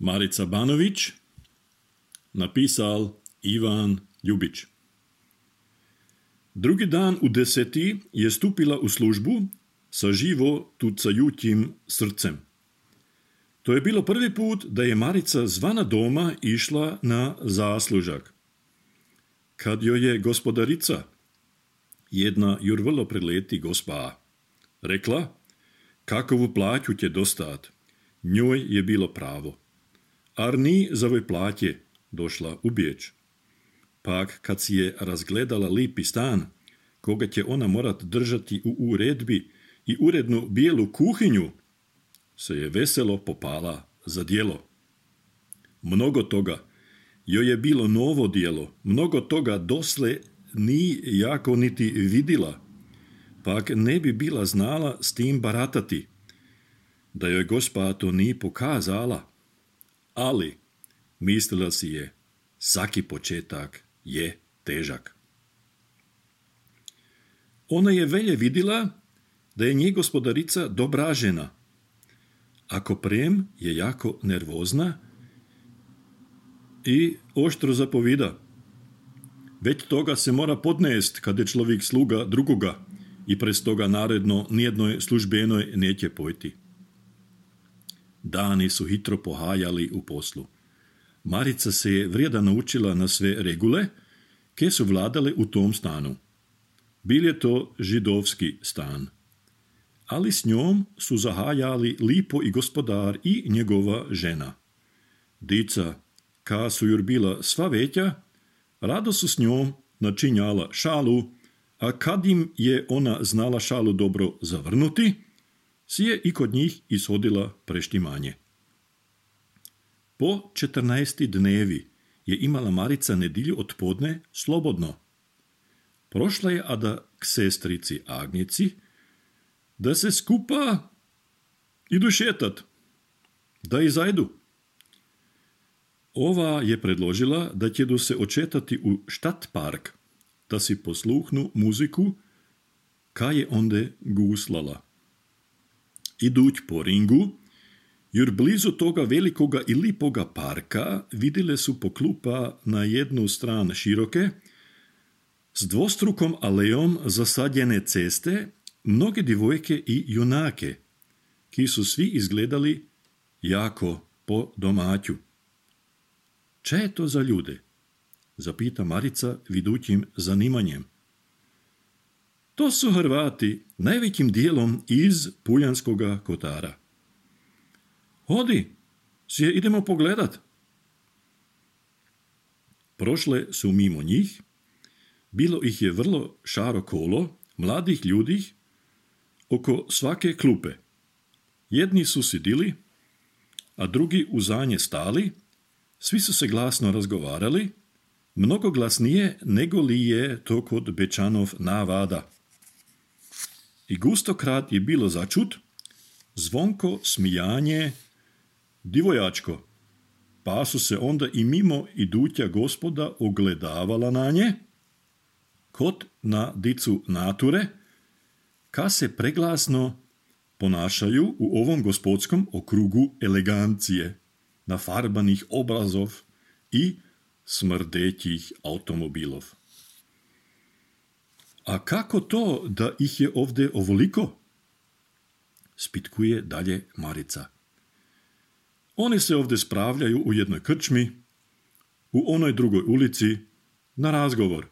Marica Banović, napisal Ivan Ljubić. Drugi dan u 10 je stupila u službu sa živo tucajućim srcem. To je bilo prvi put da je Marica zvana doma išla na zaslužak. Kad joj je gospodarica, jedna jur vrlo prileti gospa, rekla, kakovu plaću će dostat, njoj je bilo pravo. Ar ni za ovoj plaće došla u Biječ. Pak kad si je razgledala lipi stan, koga će ona morat držati u uredbi i urednu bijelu kuhinju, se je veselo popala za djelo. Mnogo toga joj je bilo novo djelo, mnogo toga dosle ni jako niti vidila, pak ne bi bila znala s tim baratati, da joj gospa to ni pokazala, ali mislila si je, svaki početak je težak. Ona je velje vidila da je nje gospodarica dobra žena. Ako prem je jako nervozna i oštro zapovida. Već toga se mora podnest kad je človek sluga drugoga i prez toga naredno nijednoj službenoj neće pojti. Dani su hitro pohajali u poslu. Marica se je vrijeda naučila na sve regule, ke su vladale u tom stanu. Bil je to židovski stan. Ali s njom su zahajali lipo i gospodar i njegova žena. Dica, ka su jur bila sva veća, rado su s njom načinjala šalu, a kad im je ona znala šalu dobro zavrnuti, si je i kod njih ishodila preštimanje. Po 14 dnevi je imala Marica nedilju odpodne slobodno. Prošla je ada k sestrici Agnici, da se skupa idu šetat, da i zajdu. Ova je predložila da ćedu se očetati u štat park, da si posluhnu muziku, ka je onde guslala. Iduć po ringu, jer blizu toga velikoga i lipoga parka vidjele su po klupa na jednu stran široke, s dvostrukom alejom zasadjene ceste, mnoge divojke i junake, ki su svi izgledali jako po domaću. Če je to za ljude? Zapita Marica vidućim zanimanjem. To su Hrvati, najvećim dijelom iz Puljanskoga Kotara. Hodi, si je idemo pogledat. Prošle su mimo njih, bilo ih je vrlo šaro kolo, mladih ljudi, oko svake klupe. Jedni su sidili, a drugi uzanje stali, svi su se glasno razgovarali, mnogo glasnije nego li je to kod Bečanov navada. I gustokrat je bilo začut, zvonko smijanje divojačko, pa su se onda i mimo iduća gospoda ogledavala na nje, kod na dicu nature, ka se preglasno ponašaju u ovom gospodskom okrugu elegancije, nafarbanih obrazov i smrdećih automobilov. A kako to da ih je ovdje ovoliko? Spitkuje dalje Marica. Oni se ovdje spravljaju u jednoj krčmi, u onoj drugoj ulici, na razgovor.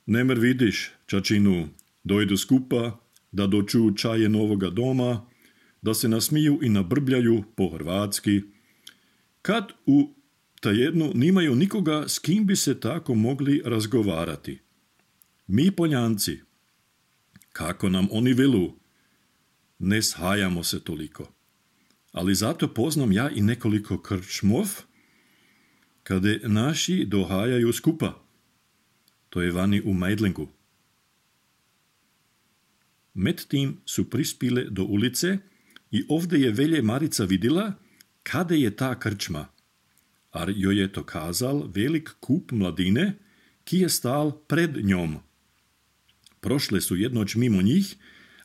Nemer vidiš, čačinu, dojdu skupa, da doču čaje novoga doma, da se nasmiju i nabrbljaju po hrvatski, kad u tajednu nimaju nikoga s kim bi se tako mogli razgovarati. Mi Poljanci, kako nam oni velu, ne shajamo se toliko. Ali zato poznam ja i nekoliko krčmov, kada naši dohajaju skupa. To je vani u Meidlingu. Med tim su prispile do ulice i ovdje je velje Marica vidjela kada je ta krčma, ar joj je to kazal velik kup mladine, ki je stal pred njom. Prošle su jednoć mimo njih,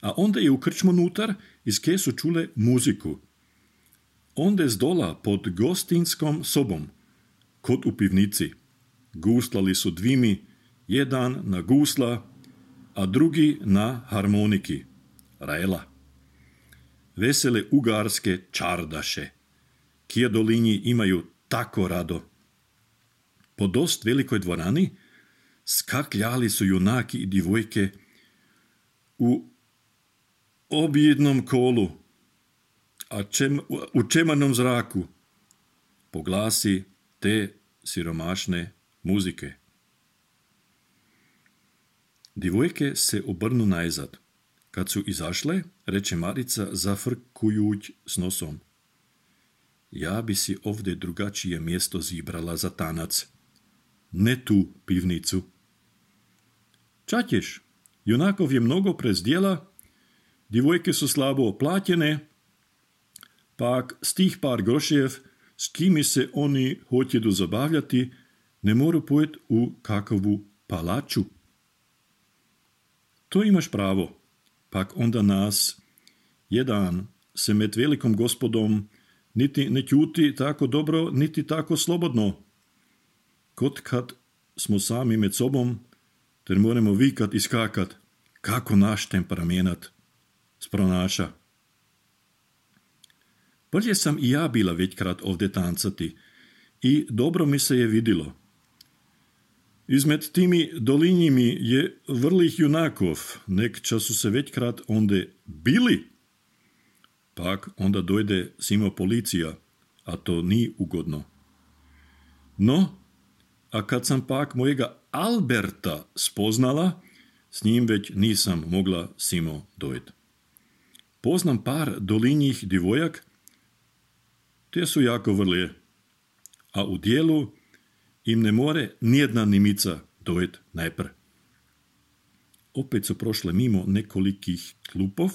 a onda je u krčmu nutar, iz ke su čule muziku. Onde zdola pod gostinskom sobom, kot u pivnici. Guslali su dvimi, jedan na gusla, a drugi na harmoniki, raela. Vesele ugarske čardaše, kje dolinji imaju tako rado. Po dost velikoj dvorani skakljali su junaki i divojke u objednom kolu, a u čemanom zraku, po glasi te siromašne muzike. Divojke se obrnu najzad. Kad su izašle, reče Marica zafrkujuć s nosom. Ja bi si ovdje drugačije mjesto zibrala za tanac. Ne tu pivnicu. Čaćeš, junakov je mnogo prezdjela, divojke su slabo oplatjene, pak s tih par grošev, s kimi se oni hoćedu zabavljati, ne moru pojet u kakovu palaču. To imaš pravo, pak onda nas, jedan se med velikom gospodom niti ne ćuti tako dobro, niti tako slobodno. Kot kad smo sami med sobom, ter moramo vikat i skakat, kako naš temperamenat spronaša. Prije sam i ja bila većkrat ovdje tancati i dobro mi se je vidilo. Izmed timi dolinjimi je vrlih junakov, nek času se većkrat onde bili. Pak onda dojde simo policija, a to ni ugodno. No, a kad sam pak mojega Alberta spoznala, s njim već nisam mogla simo dojeti. Poznam par dolinjih divojak, te su jako vrlije, a u dijelu im ne more nijedna nimica dojeti najpr. Opet su prošle mimo nekolikih klupov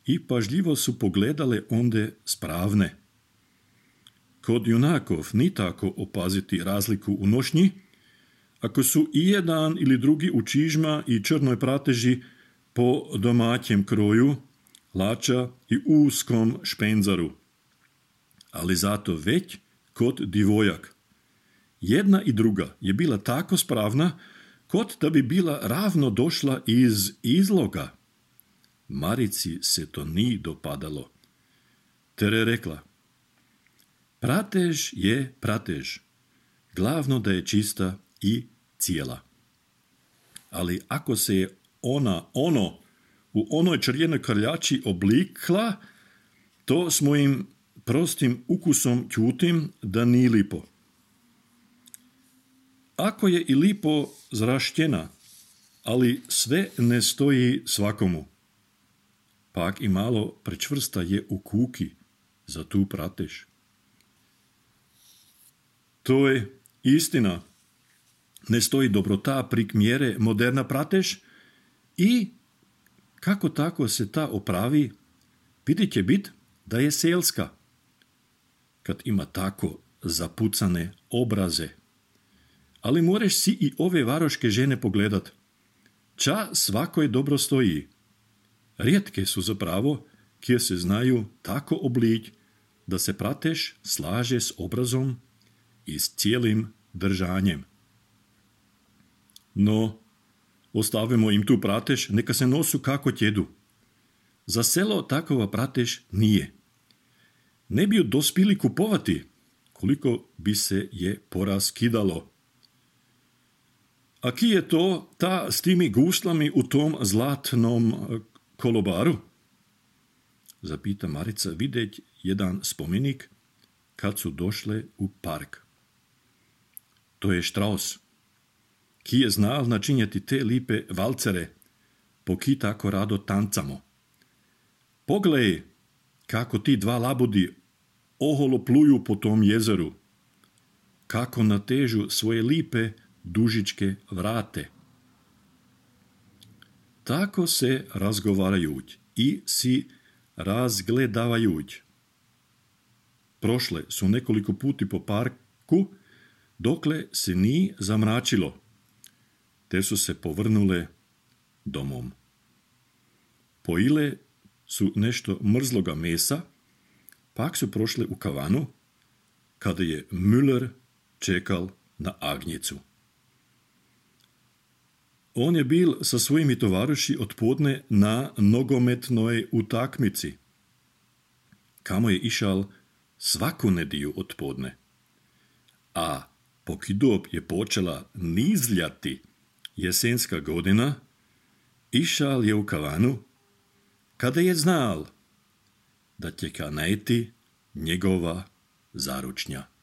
i pažljivo su pogledale onde spravne. Kod junakov ni tako opaziti razliku u nošnji, ako su i jedan ili drugi u čižma i črnoj prateži po domaćem kroju, lača i uskom špenzaru. Ali zato već kod divojak. Jedna i druga je bila tako spravna, kot da bi bila ravno došla iz izloga. Marici se to ni dopadalo. Ter je rekla, pratež je pratež, glavno da je čista i cijela. Ali ako se je ona u onoj črjenoj krljači oblikla, to s mojim prostim ukusom ćutim da ni lipo. Ako je i lipo zraštjena, ali sve ne stoji svakomu. Pak i malo prečvrsta je u kuki za tu pratež. To je istina. Ne stoji dobrota prik mjere moderna pratež i kako tako se ta opravi, vidit će bit da je selska. Kad ima tako zapucane obraze. Ali moreš si i ove varoške žene pogledat. Ča svakoj dobro stoji. Rijetke su zapravo, kje se znaju tako oblić, da se pratež slaže s obrazom i s cijelim držanjem. No, ostavimo im tu pratež, neka se nosu kako tjedu. Za selo takova pratež nije. Ne bi ju dospili kupovati, koliko bi se je poraskidalo. A ki je to ta s timi guslami u tom zlatnom kolobaru? Zapita Marica videć jedan spomenik kad su došle u park. To je Štraus, ki je znal načinjati te lipe valcere, po ki tako rado tancamo. Poglej, kako ti dva labudi oholo pluju po tom jezeru, kako natežu svoje lipe dužičke vrate. Tako se razgovarajuć i si razgledavajuć. Prošle su nekoliko puti po parku, dokle se ni zamračilo, te su se povrnule domom. Pojile su nešto mrzloga mesa, Pak su prošli u kavanu, kada je Müller čekal na Agnjicu. On je bil sa svojimi tovariši odpodne na nogometnoj utakmici, kamo je išal svaku nediju odpodne. A pokidob je počela nizljati jesenska godina, išal je u kavanu, kada je znal, da će kanajti njegova zaručnja.